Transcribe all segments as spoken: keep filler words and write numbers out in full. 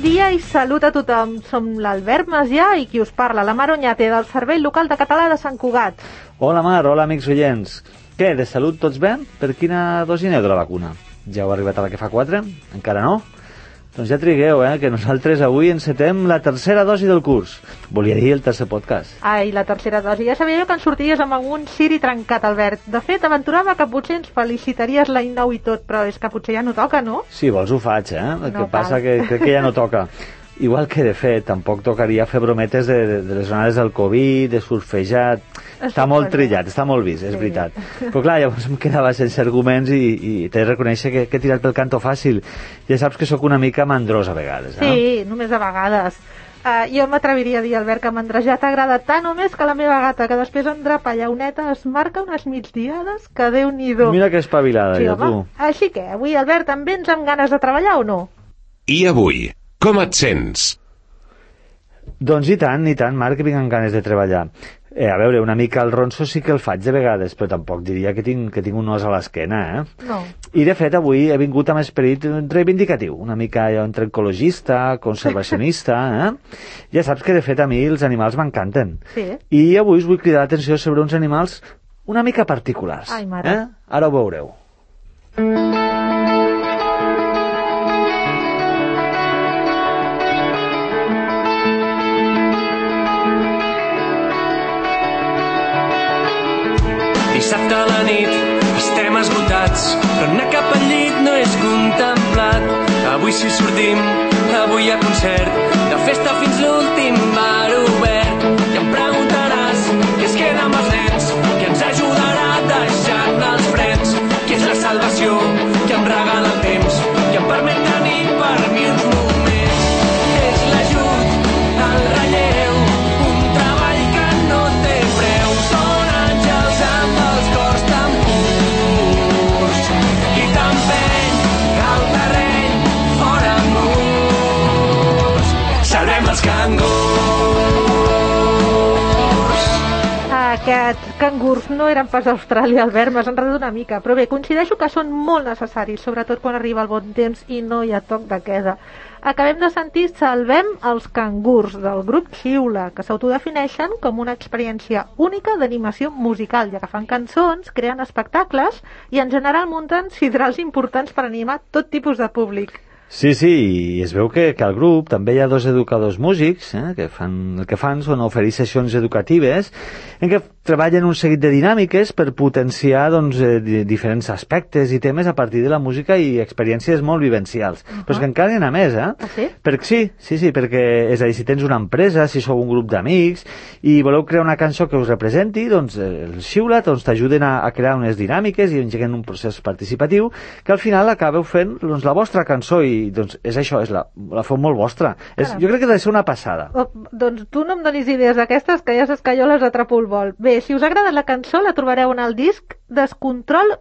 dia i salut a tothom. Som l'Albert Macià i qui us parla, la Mar Oñate, del Servei Local de Català de Sant Cugat. Hola Mar, hola amics oients. Què, de salut tots bé? Per quina dosi aneu de la vacuna? Ja heu arribat a la que fa quatre? Encara no? Doncs ja trigueu, eh, que nosaltres avui encetem la tercera dosi del curs. Volia dir el tercer podcast. Ai, la tercera dosi. Ja sabia jo que en sorties amb algun siri trencat, Albert. De fet, aventurava que potser ens felicitaries l'any nou i tot, però és que potser ja no toca, no? Si vols ho faig, eh? El no que passa que crec que ja no toca. Igual que, de fet, tampoc tocaria fer brometes de, de, de les onades del Covid, de surfejar... Està molt trillat, està molt vist, és sí. veritat. Però clar, llavors em quedava sense arguments i, i t'he de reconèixer que, que he tirat pel canto fàcil. Ja saps que sóc una mica mandrós a vegades, no? Sí, només a vegades. Uh, jo m'atreviria a dir, Albert, que mandrejar t'agrada tant o més que la meva gata, que després en drapa llauneta es marca unes migdiades que Déu-n'hi-do. Mira que espavilada, sí, ja, home. Tu. Així que, avui, Albert, em vens amb ganes de treballar o no? I avui, com et sents? Doncs i tant, i tant, Marc, que vinc amb ganes de treballar. Eh, a veure, una mica el ronso sí que el faig de vegades, però tampoc diria que tinc, que tinc un os a l'esquena, eh? No. I de fet avui he vingut amb esperit reivindicatiu, una mica entre ecologista, conservacionista, eh? Ja saps que de fet a mi els animals m'encanten. Sí. I avui us vull cridar l'atenció sobre uns animals una mica particulars. Ai, mare. Eh? Ara ho veureu. Dissabte a la nit estem esgotats, però anar cap al llit no és contemplat. Avui sí sortim, avui hi ha concert, de festa fins l'últim bar obert. I em preguntaràs què es queda amb els nens, qui ens ajudarà deixant els frens, qui és la salvació, qui em regala el temps, qui em permet tenir per mi uns moments. És l'ajut, el relleu, un treball que no té preu. Són àngels amb els cors tan purs i tan peny al terreny fora murs. Salvem els cangurs. Aquests cangurs no eren pas d'Austràlia, Albert, m'has enredat una mica. Però bé, coincideixo que són molt necessaris, sobretot quan arriba el bon temps i no hi ha toc de queda. Acabem de sentir Salvem els cangurs, del grup Xiula, que s'autodefineixen com una experiència única d'animació musical, ja que fan cançons, creen espectacles i en general munten sidrals importants per animar tot tipus de públic. Sí, sí, i es veu que, que al grup també hi ha dos educadors músics, eh, que fan, el que fan són oferir sessions educatives en què treballen un seguit de dinàmiques per potenciar doncs, eh, diferents aspectes i temes a partir de la música i experiències molt vivencials. Uh-huh. Però és que encara n'hi ha més, eh? Ah, sí? Perquè sí, sí, sí, perquè és a dir, si tens una empresa, si sou un grup d'amics i voleu crear una cançó que us representi, doncs el Xiula doncs, t'ajuden a, a crear unes dinàmiques i engeguen un procés participatiu que al final acabeu fent doncs, la vostra cançó i doncs és això, és la, la feu molt vostra. És, jo crec que ha de ser una passada. Oh, doncs tu no em donis idees d'aquestes, que ja saps que jo les atrapo al vol. Bé, si us ha agradat la cançó, la trobareu en el disc Descontrol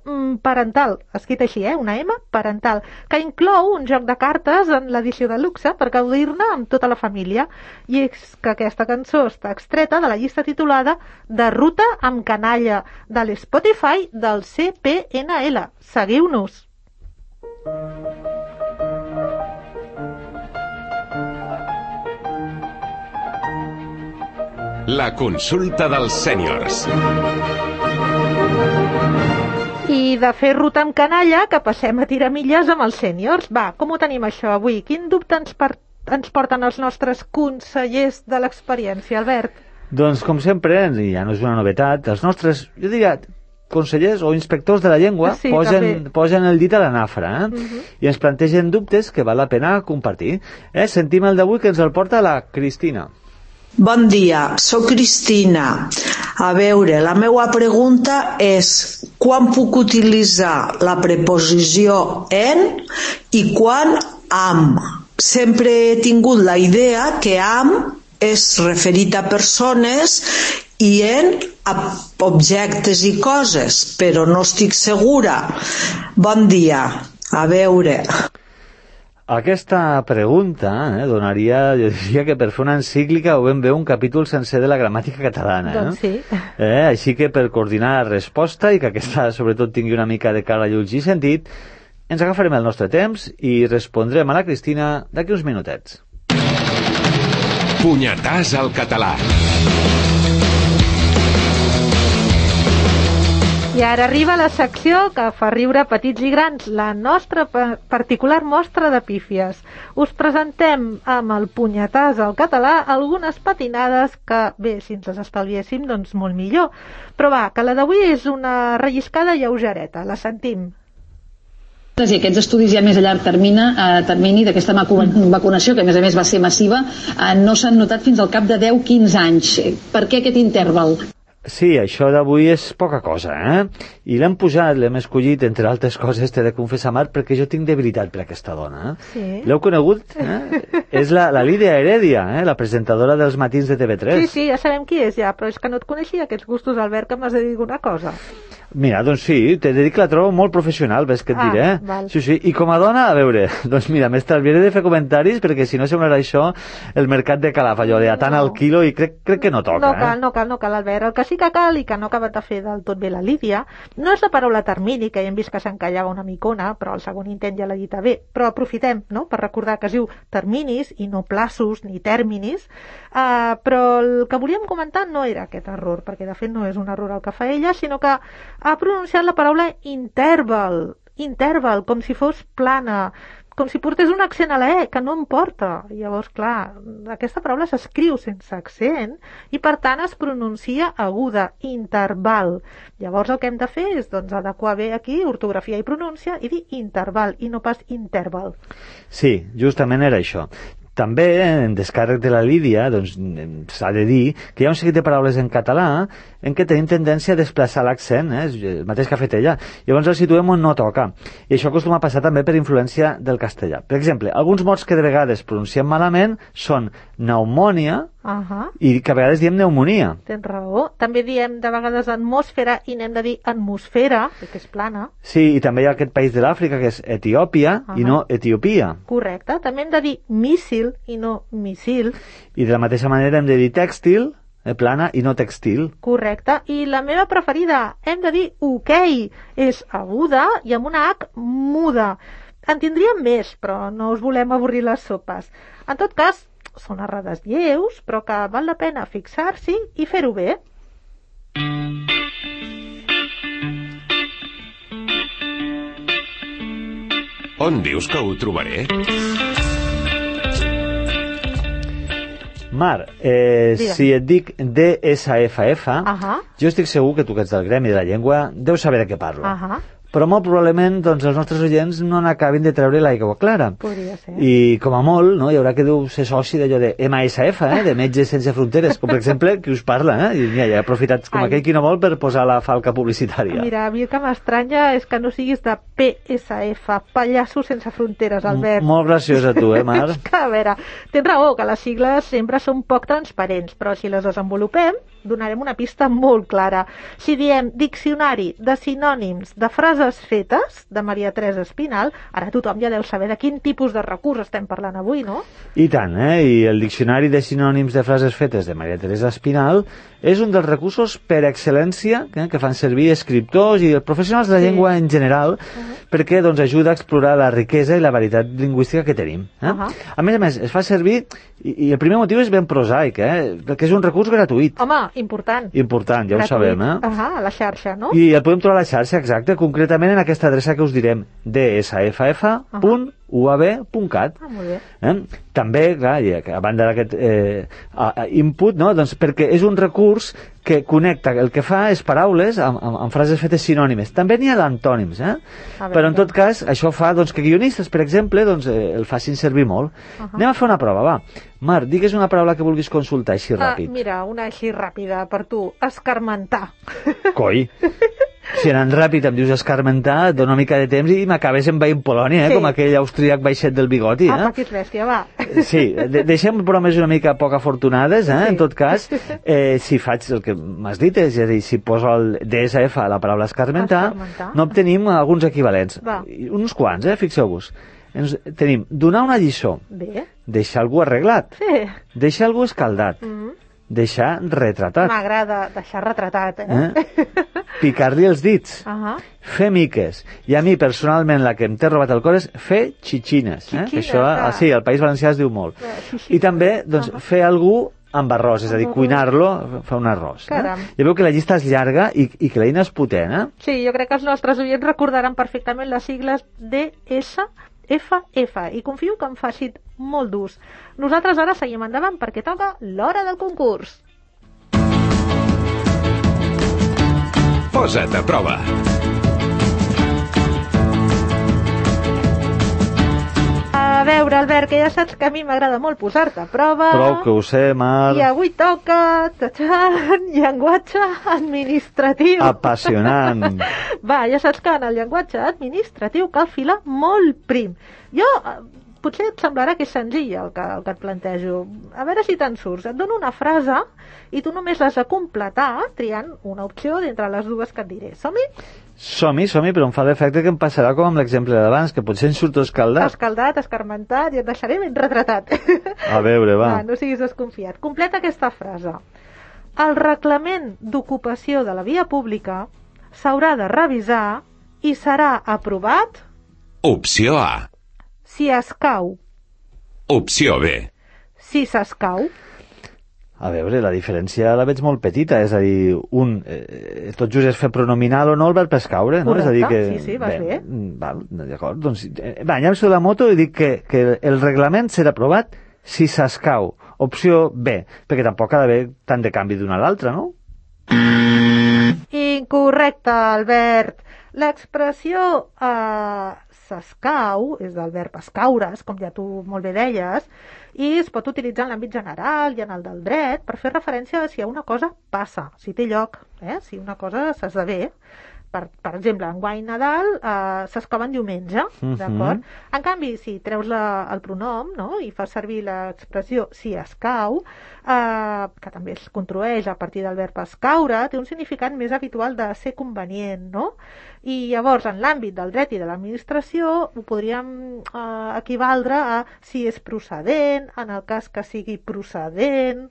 Parental, escrit així, eh? Una M, parental, que inclou un joc de cartes en l'edició de luxe per gaudir-ne amb tota la família. I és que aquesta cançó està extreta de la llista titulada De ruta amb canalla, de l'Spotify del C P N L. Seguiu-nos! La consulta dels sèniors. I de fer ruta amb canalla que passem a tirar milles amb els sèniors. Va, com ho tenim això avui? Quin dubte ens, per... ens porten els nostres consellers de l'experiència, Albert? Doncs com sempre, i ja no és una novetat, els nostres, jo diria, consellers o inspectors de la llengua sí, posen, posen el dit a la nafra, eh? Uh-huh. I ens plantegen dubtes que val la pena compartir. Eh? Sentim el d'avui que ens el porta la Cristina. Bon dia, sóc Cristina. A veure, la meva pregunta és quan puc utilitzar la preposició en i quan amb. Sempre he tingut la idea que amb és referit a persones i en a objectes i coses, però no estic segura. Bon dia, a veure... Aquesta pregunta eh, donaria, jo diria que per fer una encíclica o ben bé un capítol sencer de la gramàtica catalana. Doncs sí. Eh, així que per coordinar la resposta i que aquesta sobretot tingui una mica de cara, llums i sentit, ens agafarem el nostre temps i respondrem a la Cristina d'aquí uns minutets. Punyetàs al català. I ara arriba la secció que fa riure petits i grans, la nostra particular mostra de pífies. Us presentem amb el punyetàs al català algunes patinades que, bé, si ens les estalviéssim, doncs molt millor. Però va, que la d'avui és una relliscada lleugereta, la sentim. I aquests estudis ja més a llarg termini, eh, termini d'aquesta vacunació, que a més a més va ser massiva, eh, no s'han notat fins al cap de deu a quinze anys. Per què aquest interval? Sí, això d'avui és poca cosa, eh? I l'hem posat, l'hem escollit, entre altres coses, t'he de confessar, Marc, perquè jo tinc debilitat per aquesta dona. Eh? Sí. L'heu conegut? Eh? És la, la Lídia Heredia, eh? La presentadora dels matins de T V tres. Sí, sí, ja sabem qui és ja, però és que no et coneixia aquests gustos, Albert, que m'has de dir una cosa. Mira, doncs sí, t'he de dir que la trobo molt professional, ves que et ah, diré. Val. Sí, sí, i com a dona, a veure, doncs mira, m'estalviaré de fer comentaris perquè si no semblarà això el mercat de Calaf, allò de a tant no. al quilo, i crec, crec que no toca. No cal, eh? no cal, no cal, Albert. El que sí que cal i que no ha acabat de fer del tot bé la Lídia no és la paraula termini, que ja hem vist que s'encallava una micona, però el segon intent ja l'ha dit bé. Però aprofitem, no?, per recordar que es diu terminis i no plaços ni tèrminis. Uh, però el que volíem comentar no era aquest error, perquè de fet no és un error el que fa ella, sinó que ha pronunciat la paraula interval, interval, com si fos plana, com si portés un accent a la E, que no em porta. Llavors, clar, aquesta paraula s'escriu sense accent i, per tant, es pronuncia aguda, interval. Llavors, el que hem de fer és, doncs, adequar bé aquí ortografia i pronúncia i dir interval i no pas interval. Sí, justament era això. També, en descàrrec de la Lídia, doncs, s'ha de dir que hi ha un seguit de paraules en català en què tenim tendència a desplaçar l'accent, eh? El mateix que ha fet ella. Llavors el situem on no toca. I això acostuma a passar també per influència del castellà. Per exemple, alguns mots que de vegades pronunciem malament són pneumònia uh-huh. i que a vegades diem pneumonia. Tens raó. També diem de vegades atmosfera i n'hem de dir atmosfera, que és plana. Sí, i també hi ha aquest país de l'Àfrica que és Etiòpia uh-huh. i no Etiopia. Correcte. També hem de dir míssil i no missil. I de la mateixa manera hem de dir tèxtil, eh, plana, i no textil. Correcte. I la meva preferida, hem de dir ok, és aguda i amb una H muda. En tindríem més, però no us volem avorrir les sopes. En tot cas, són errades lleus, però que val la pena fixar-s'hi i fer-ho bé. On dius que ho trobaré? Mar, eh, si et dic D S F F, uh-huh. jo estic segur que tu, que ets del gremi de la llengua, deus saber de què parlo. Uh-huh. Però molt probablement doncs, els nostres oients no n'acabin de treure l'aigua clara. Podria ser. I com a molt, no, hi haurà que deu ser soci d'allò de M S F, eh, de Metges Sense Fronteres, com per exemple, qui us parla, eh? I mira, ja he aprofitat com Ai. aquell qui no vol per posar la falca publicitària. Mira, a mi el que m'estranya és que no siguis de P S F, Pallassos Sense Fronteres, Albert. M molt graciosa tu, eh, Mar? Que, a veure, tens raó, que les sigles sempre són poc transparents, però si les desenvolupem, donarem una pista molt clara. Si diem diccionari de sinònims de frases fetes, de Maria Teresa Espinal, ara tothom ja deu saber de quin tipus de recurs estem parlant avui, no? I tant, eh? I el diccionari de sinònims de frases fetes de Maria Teresa Espinal és un dels recursos per excel·lència eh, que fan servir escriptors i els professionals de la sí. llengua en general, uh-huh. perquè doncs, ajuda a explorar la riquesa i la varietat lingüística que tenim. Eh? Uh-huh. A més a més, es fa servir, i, i el primer motiu és ben prosaic, eh? perquè és un recurs gratuït. Home, important. Important, ja gratuït. Ho sabem. Eh? Uh-huh, a la xarxa, no? I el podem trobar a la xarxa, exacte, concretament en aquesta adreça que us direm, d s f f punt u a b punt cat. Ah, molt bé. Eh? També, clar, a banda d'aquest eh, input, no? doncs perquè és un recurs que connecta, el que fa és paraules amb, amb, amb frases fetes sinònimes. També n'hi ha d'antònims, eh? Però en tot cas, això fa doncs, que guionistes, per exemple, doncs, eh, el facin servir molt. Uh -huh. Anem a fer una prova, va. Mar, digues una paraula que vulguis consultar així ràpid. Ah, mira, una així ràpida per tu. Escarmentar. Coi. Si anant ràpid em dius escarmentar, et dono una mica de temps i m'acabes envaint Polònia, eh? Sí. Com aquell austríac baixet del bigoti. Eh? Ah, que ets bèstia, va. Sí, de deixem bromes una mica poc afortunades, eh? Sí. En tot cas, eh, si faig el que m'has dit, és a dir, si poso el D S F a la paraula escarmentar, escarmentar. no obtenim alguns equivalents. Va. Uns quants, eh? Fixeu-vos. Ens, tenim donar una lliçó, Bé. deixar algú arreglat, sí. deixar algú escaldat, mm -hmm. deixar retratat. M'agrada deixar retratat, eh? eh? picar-li els dits, Uh -huh. fer miques. I a mi, personalment, la que em té robat el cor és fer xixines. Eh? Xixines, Això, ah. sí, al País Valencià es diu molt. Eh, xixines. I també, doncs, Uh -huh. fer algú amb arròs, és a dir, Amb arròs. cuinar-lo, fer un arròs. Eh? Caram. Ja veu que la llista és llarga i, i que l'eina és potent, eh? Sí, jo crec que els nostres oients recordaran perfectament les sigles D S F F i confio que en facin molt d'ús. Nosaltres ara seguim endavant perquè toca l'hora del concurs. Posa't a prova. A veure, Albert, que ja saps que a mi m'agrada molt posar-te a prova. Prou que ho sé, Mar. I avui toca tachan, llenguatge administratiu. Apassionant. Va, ja saps que en el llenguatge administratiu cal filar molt prim. Jo, eh, potser et semblarà que és senzill el que, el que et plantejo. A veure si te'n surts. Et dono una frase i tu només l'has de completar triant una opció d'entre les dues que et diré. Som-hi? Som-hi, som-hi, però em fa l'efecte que em passarà com amb l'exemple d'abans, que potser em surto escaldat. Escaldat, escarmentat i et deixaré ben retratat. A veure, va. Va, no siguis desconfiat. Completa aquesta frase. El reglament d'ocupació de la via pública s'haurà de revisar i serà aprovat Opció A. si escau. Opció B. Si s'escau. A veure, la diferència la veig molt petita, és a dir, un, eh, tot just és fer pronominal o no el verb escaure, no? Correcte, És a dir que, sí, sí, vas bé. mm, Val, d'acord, doncs, eh, va, llanço la moto i dic que, que el reglament serà aprovat si s'escau. Opció B, perquè tampoc ha d'haver tant de canvi d'una a l'altra, no? Incorrecte, Albert. L'expressió eh, s'escau és del verb escaure's, com ja tu molt bé deies, i es pot utilitzar en l'àmbit general i en el del dret per fer referència a si una cosa passa, si té lloc, eh? Si una cosa s'esdevé. Per, per exemple, enguany Nadal eh, s'escova en diumenge, Mhm. d'acord? En canvi, si treus la, el pronom, no?, i fas servir l'expressió si escau, eh, que també es construeix a partir del verb escaure, té un significat més habitual de ser convenient, no? I llavors, en l'àmbit del dret i de l'administració, ho podríem eh, equivaldre a si és procedent, en el cas que sigui procedent.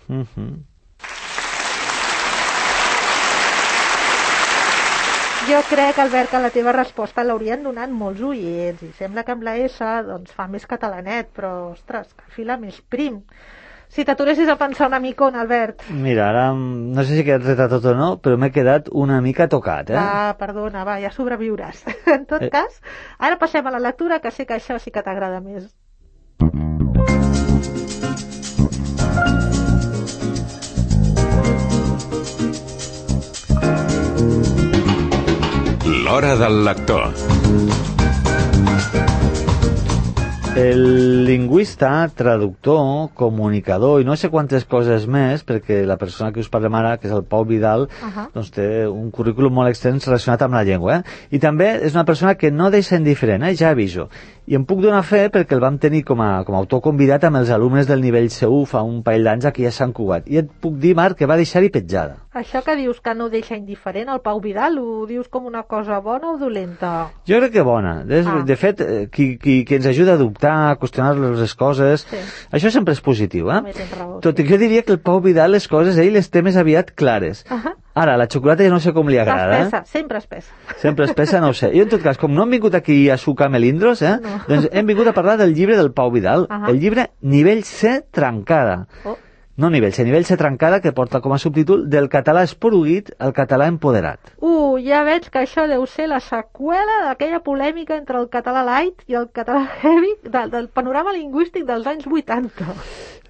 Mhm. Jo crec, Albert, que la teva resposta l'haurien donat molts oients i sembla que amb la S doncs, fa més catalanet, però, ostres, que fila més prim. Si t'aturessis a pensar una micona, Albert. Mira, ara mm, no sé si he quedat retat tot o no, però m'he quedat una mica tocat, eh? Ah, perdona, va, ja sobreviuràs. En tot Eh. cas, ara passem a la lectura, que sé que això sí que t'agrada més. L'hora del lector. El lingüista, traductor, comunicador i no sé quantes coses més, perquè la persona que us parlem ara, que és el Pau Vidal, Ahà. doncs té un currículum molt extens relacionat amb la llengua. Eh? I també és una persona que no deixa indiferent, eh? Ja aviso. I em puc donar fe perquè el vam tenir com a, com a autor convidat amb els alumnes del nivell C u fa un parell d'anys aquí a Sant Cugat. I et puc dir, Marc, que va deixar-hi petjada. Això que dius que no deixa indiferent el Pau Vidal, ho dius com una cosa bona o dolenta? Jo crec que bona. De, Ah. de fet, eh, qui, qui, qui ens ajuda a dubtar, a qüestionar les coses, Sí. això sempre és positiu, eh? També tens raó, Tot sí. i que jo diria que el Pau Vidal les coses, ell les té més aviat clares. Ahà. Ara, la xocolata ja no sé com li agrada, Espessa, eh? sempre espessa. Sempre espessa, no ho sé. Jo, en tot cas, com no hem vingut aquí a sucar melindros, eh? No. Doncs hem vingut a parlar del llibre del Pau Vidal. Ahà. El llibre Nivell C trencada. Oh. No nivell C, nivell C trencada, que porta com a subtítol Del català esporuguit al català empoderat. Uh, ja veig que això deu ser la seqüela d'aquella polèmica entre el català light i el català heavy del, del panorama lingüístic dels anys vuitanta.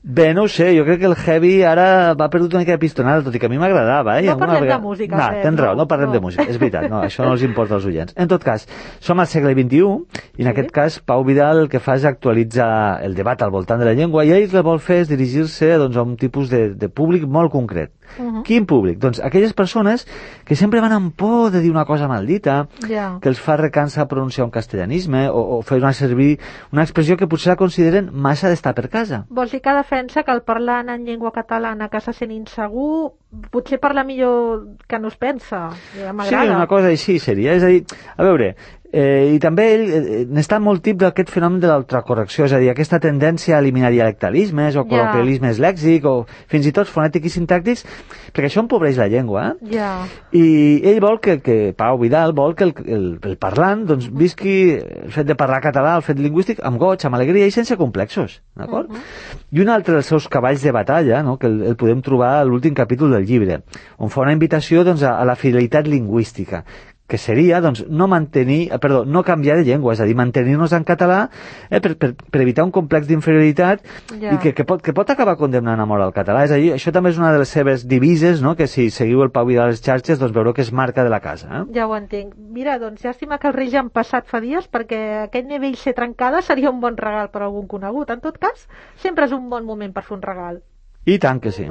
Bé, no ho sé, jo crec que el heavy ara va perdut una mica de pistonada, tot i que a mi m'agradava, eh? I No alguna parlem de vegada- música, No, Pep, tens raó, no, no parlem no. de música, és veritat, no, això no els importa als oients. En tot cas, som al segle vint-i-u, i en Sí. aquest cas Pau Vidal el que fa és actualitzar el debat al voltant de la llengua, i ell el que vol fer és dirigir-se doncs, a un tipus de, de públic molt concret. Uh-huh. Quin públic? Doncs aquelles persones que sempre van amb por de dir una cosa maldita, Ja. que els fa recansa pronunciar un castellanisme o, o fer una servir una expressió que potser la consideren massa d'estar per casa. Vols dir que defensa que el parlant en llengua catalana que se sent insegur potser parla millor que no es pensa? Ja Sí, m'agrada. una cosa així seria. És a dir, a veure, Eh, I també ell eh, n'està molt tip d'aquest fenomen de l'ultracorrecció, és a dir, aquesta tendència a eliminar dialectalismes o col·loquialismes yeah. lèxics o fins i tot fonètics i sintàctics, perquè això empobreix la llengua. Eh? Yeah. I ell vol que, que Pau Vidal vol que el, el, el parlant doncs, visqui el fet de parlar català, el fet lingüístic, amb goig, amb alegria i sense complexos. D'acord? Uh -huh. I un altre dels seus cavalls de batalla, no? que el, el podem trobar a l'últim capítol del llibre, on fa una invitació doncs, a, a la fidelitat lingüística, que seria, doncs, no mantenir, perdó, no canviar de llengua, és a dir, mantenir-nos en català eh, per, per, per evitar un complex d'inferioritat yeah. i que, que, pot, que pot acabar condemnant a mort al català. És a dir, això també és una de les seves divises, no?, que si seguiu el Pau Vidal a les xarxes, doncs veureu que és marca de la casa. Eh? Ja ho entenc. Mira, doncs, llàstima que els Reis ja han passat fa dies, perquè aquest nivell ser trencada seria un bon regal per a algun conegut. En tot cas, sempre és un bon moment per fer un regal. I tant que sí.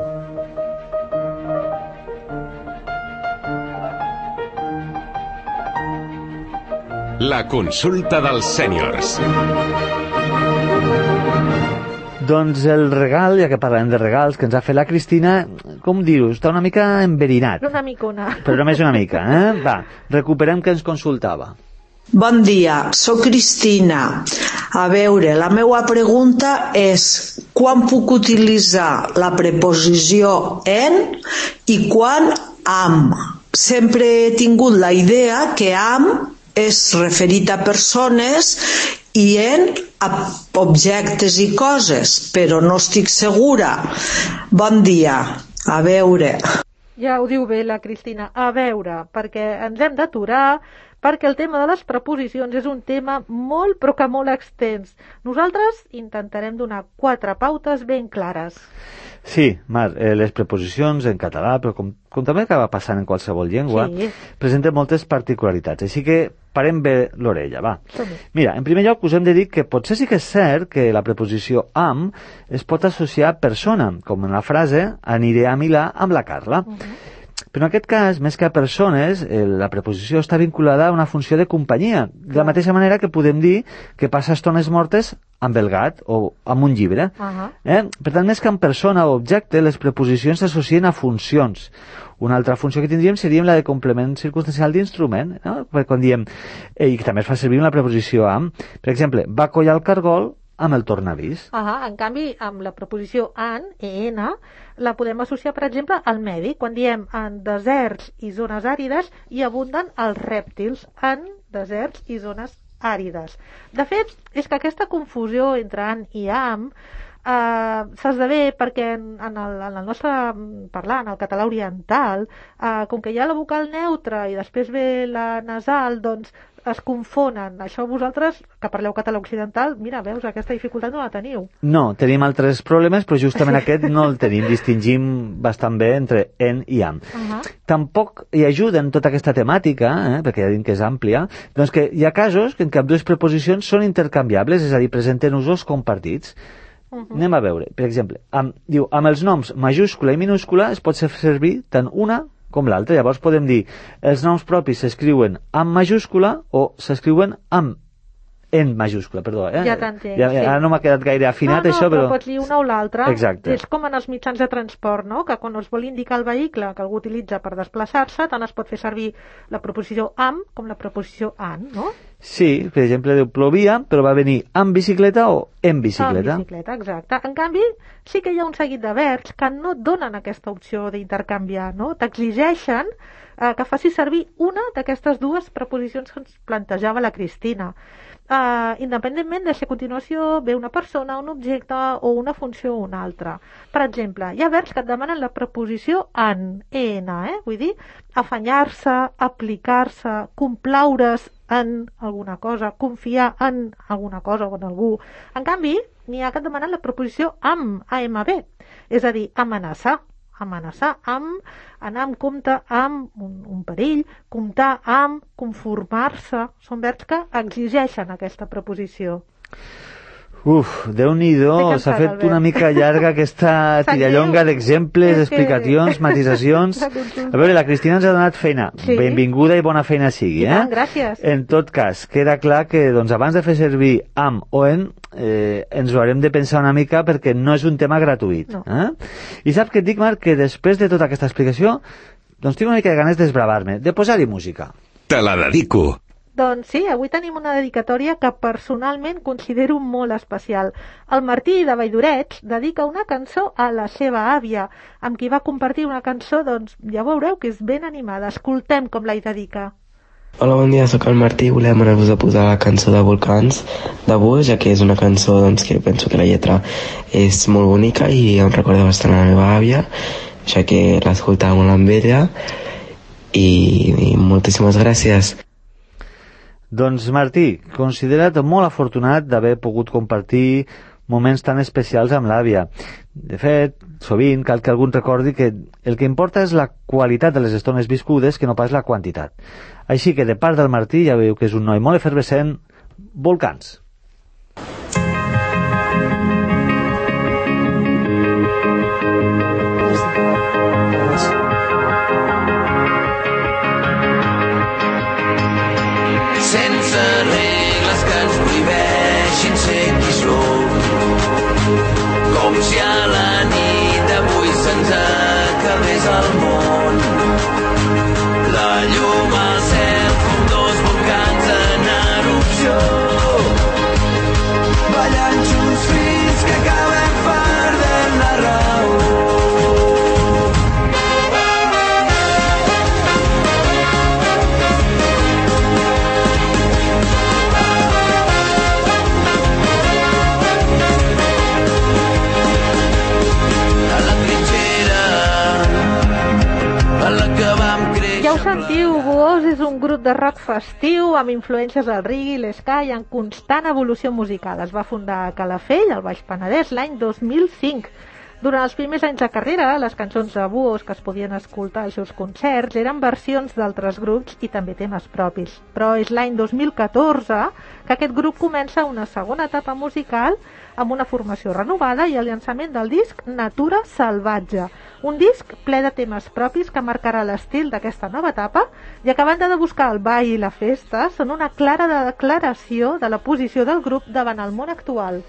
La consulta dels sèniors. Doncs el regal, ja que parlem de regals, que ens ha fet la Cristina, com dir-ho, està una mica enverinat. Una micona. Però només una mica, eh? Va, recuperem que ens consultava. Bon dia, sóc Cristina. A veure, la meva pregunta és quan puc utilitzar la preposició en i quan am? Sempre he tingut la idea que am és referit a persones i en a objectes i coses, però no estic segura. Bon dia. A veure. Ja ho diu bé la Cristina. A veure, perquè ens hem d'aturar, perquè el tema de les preposicions és un tema molt, però que molt extens. Nosaltres intentarem donar quatre pautes ben clares. Sí, Mar, eh, les preposicions en català, però com, com també acaba passant en qualsevol llengua, sí. presenten moltes particularitats, així que parem bé l'orella, va. Mira, en primer lloc us hem de dir que potser sí que és cert que la preposició am es pot associar a persona, com en la frase aniré a Milà amb la Carla. Uh -huh. Però en aquest cas, més que a persones, eh, la preposició està vinculada a una funció de companyia, de la mateixa manera que podem dir que passa estones mortes amb el gat o amb un llibre. Uh -huh. eh? Per tant, més que amb persona o objecte, les preposicions s'associen a funcions. Una altra funció que tindríem seria la de complement circumstancial d'instrument, no? Perquè quan diem, eh, i que també es fa servir amb la preposició amb, per exemple, va collar el cargol amb el tornavís. Uh -huh. En canvi, amb la preposició an, en, la podem associar, per exemple, al medi. Quan diem en deserts i zones àrides, hi abunden els rèptils en deserts i zones àrides. De fet, és que aquesta confusió entre an i am Uh, s'esdevé perquè en, en, el, en el nostre parlar, en el català oriental, uh, com que hi ha la vocal neutra i després ve la nasal, doncs es confonen. Això vosaltres, que parleu català occidental, mira, veus, aquesta dificultat no la teniu. No, tenim altres problemes, però justament aquest no el tenim. Distingim bastant bé entre en i am. Uh -huh. Tampoc hi ajuden tota aquesta temàtica, eh, perquè ja dic que és àmplia, doncs que hi ha casos en què ambdues preposicions són intercanviables, és a dir, presenten usos compartits. Uh -huh. Anem a veure, per exemple, amb, diu, amb els noms majúscula i minúscula es pot fer servir tant una com l'altra. Llavors podem dir, els noms propis s'escriuen amb majúscula o s'escriuen amb en majúscula, perdó. Eh? Ja t'entenc, ja, sí. Ara no m'ha quedat gaire afinat, no, no, això, però... No, però pots dir una o l'altra. Exacte. És com en els mitjans de transport, no?, que quan es vol indicar el vehicle que algú utilitza per desplaçar-se, tant es pot fer servir la preposició amb com la preposició an, no? Sí, per exemple, diu plovia, però va venir amb bicicleta o en bicicleta. En bicicleta, exacte. En canvi, sí que hi ha un seguit de verbs que no et donen aquesta opció d'intercanviar, no? T'exigeixen eh, que facis servir una d'aquestes dues preposicions que ens plantejava la Cristina. Uh, independentment de si a continuació ve una persona, un objecte o una funció o una altra. Per exemple, hi ha verbs que et demanen la preposició en, en, eh? Vull dir, afanyar-se, aplicar-se, complaure's en alguna cosa, confiar en alguna cosa o en algú. En canvi, n'hi ha que et demanen la preposició amb, amb, és a dir, amenaçar. amenaçar amb, anar en compte amb un, un perill, comptar amb, conformar-se. Són verbs que exigeixen aquesta preposició. Uf, Déu-n'hi-do, s'ha fet una mica llarga aquesta tirallonga d'exemples, explicacions, matisacions. A veure, la Cristina ens ha donat feina. Sí. Benvinguda i bona feina sigui, eh? I tant, gràcies. En tot cas, queda clar que doncs, abans de fer servir amb o en, eh, ens ho haurem de pensar una mica perquè no és un tema gratuït. No. Eh? I saps què et dic, Marc? Que després de tota aquesta explicació, doncs tinc una mica de ganes d'esbravar-me, de posar-hi música. Te la dedico. Doncs sí, avui tenim una dedicatòria que personalment considero molt especial. El Martí de Valldorets dedica una cançó a la seva àvia, amb qui va compartir una cançó, doncs ja veureu que és ben animada. Escoltem com la hi dedica. Hola, bon dia, sóc el Martí i volem anar-vos a posar la cançó de Volcans de Bush, ja que és una cançó doncs, que penso que la lletra és molt bonica i em recorda bastant a la meva àvia, ja que l'escoltava molt amb ella i, i moltíssimes gràcies. Doncs Martí, considera't molt afortunat d'haver pogut compartir moments tan especials amb l'àvia. De fet, sovint cal que algú recordi que el que importa és la qualitat de les estones viscudes que no pas la quantitat. Així que de part del Martí ja veieu que és un noi molt efervescent. Volcans. Sense regles que ens prohibeixin ser qui som, com si a la nit d'avui se'ns acabés el món. La llum al cel com dos volcans en erupció, ballant junts fins que acabem perdent la raó. Ja ho sentiu, Buós és un grup de rock festiu amb influències del reggae i l'ska i en constant evolució musical. Es va fundar a Calafell, al Baix Penedès, l'any dos mil cinc. Durant els primers anys de carrera, les cançons de Buós que es podien escoltar als seus concerts eren versions d'altres grups i també temes propis. Però és l'any dos mil catorze que aquest grup comença una segona etapa musical amb una formació renovada i el llançament del disc Natura Salvatge, un disc ple de temes propis que marcarà l'estil d'aquesta nova etapa i que a banda de buscar el ball i la festa són una clara declaració de la posició del grup davant el món actual.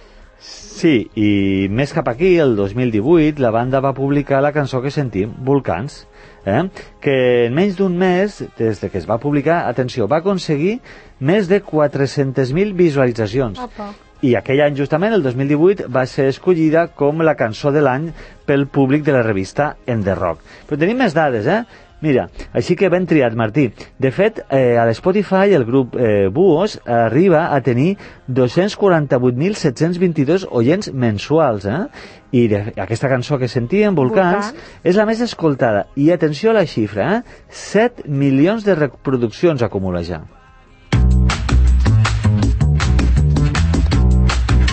Sí, i més cap aquí, el dos mil divuit, la banda va publicar la cançó que sentim, Volcans, eh? que en menys d'un mes, des de que es va publicar, atenció, va aconseguir més de quatre-centes mil visualitzacions. Opa. I aquell any, justament, el dos mil divuit, va ser escollida com la cançó de l'any pel públic de la revista En The Rock. Però tenim més dades, eh? Mira, així que ben triat, Martí. De fet, eh, a l'Spotify el grup eh, Buós arriba a tenir dos-cents quaranta-vuit mil set-cents vint-i-dos oients mensuals, eh? I de, aquesta cançó que sentíem, Volcans, Volcans, és la més escoltada. I atenció a la xifra, eh? set milions de reproduccions acumula ja.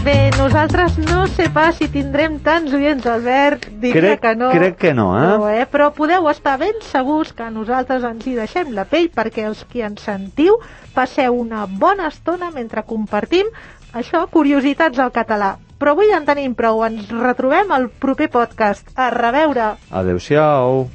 Bé, nosaltres no sé pas si tindrem tants oients, Albert, diria crec, que no. Crec que no, eh? No, eh? Però podeu estar ben segurs que nosaltres ens hi deixem la pell perquè els qui ens sentiu passeu una bona estona mentre compartim això, curiositats al català. Però avui ja en tenim prou, ens retrobem al proper podcast. A reveure! Adéu-siau!